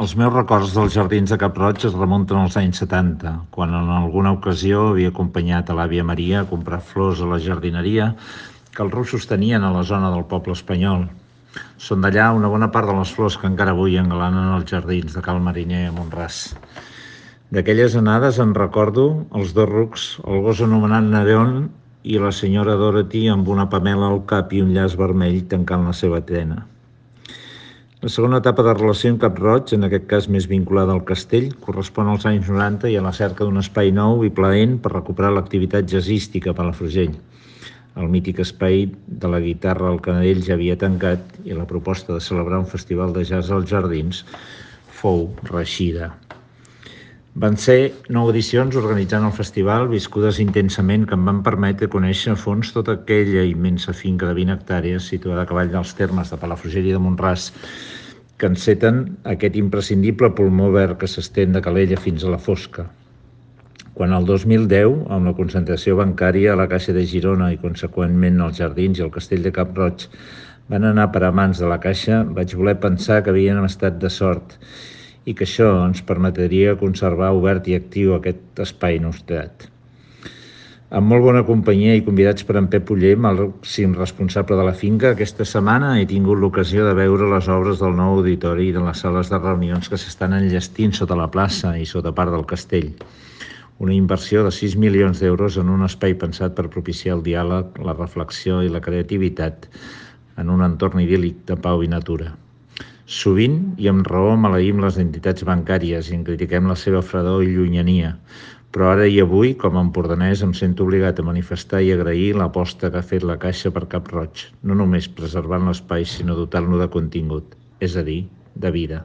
Els meus records dels jardins de Cap-roig es remunten als anys 70, quan en alguna ocasió havia acompanyat a l'àvia Maria a comprar flors a la jardineria que els russos tenien a la zona del poble espanyol. Són d'allà una bona part de les flors que encara avui engalanen els jardins de Cal Mariner a Mont-ras. D'aquelles anades en recordo els dos rucs, el gos anomenat Nereon i la senyora Dorothy amb una pamela al cap i un llaç vermell tancant la seva tena. La segona etapa de relació amb Cap-roig, en aquest cas més vinculada al castell, correspon als anys 90 i a la cerca d'un espai nou i plaent per recuperar l'activitat jazzística a Palafrugell. El mític espai de la guitarra al Canadell ja havia tancat i la proposta de celebrar un festival de jazz als jardins fou reeixida. Van ser 9 edicions organitzant el festival, viscudes intensament, que em van permetre conèixer a fons tota aquella immensa finca de 20 hectàrees situada a cavall dels termes de Palafrugell i de Mont-ras, que enceten aquest imprescindible pulmó verd que s'estén de Calella fins a la Fosca. Quan el 2010, amb la concentració bancària a la Caixa de Girona i conseqüentment als jardins i al castell de Cap-roig van anar per a mans de la Caixa, vaig voler pensar que havíem estat de sort i que això ens permetria conservar obert i actiu aquest espai nostrat. Amb molt bona companyia i convidats per en Pep Oller, màxim responsable de la finca, aquesta setmana he tingut l'ocasió de veure les obres del nou auditori i de les sales de reunions que s'estan enllestint sota la plaça i sota part del castell. Una inversió de 6 milions d'euros en un espai pensat per propiciar el diàleg, la reflexió i la creativitat en un entorn idíl·lic de pau i natura. Sovint i amb raó maleïm les entitats bancàries i en critiquem la seva fredor i llunyania, però ara i avui, com a empordanès, em sento obligat a manifestar i agrair l'aposta que ha fet la Caixa per Cap-roig, no només preservant l'espai, sinó dotant-lo de contingut, és a dir, de vida.